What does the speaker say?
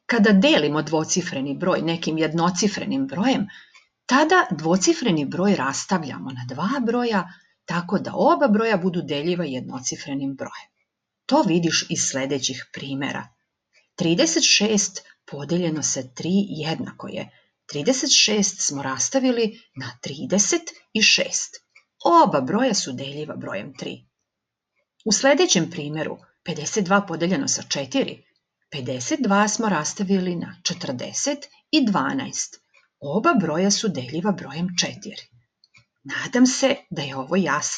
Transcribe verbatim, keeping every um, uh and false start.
Kada delimo dvocifreni broj nekim jednocifrenim brojem, tada dvocifreni broj rastavljamo na dva broja, tako da oba broja budu deljiva jednocifrenim brojem. To vidiš iz sljedećih primjera. trideset šest podeljeno sa tri jednako je. trideset šest smo rastavili na trideset i šest. Oba broja su deljiva brojem tri. U sljedećem primjeru pedeset dva podeljeno sa četiri. pedeset dva smo rastavili na četrdeset i dvanaest. Oba broja su deljiva brojem četiri. Nadam se da je ovo jasno.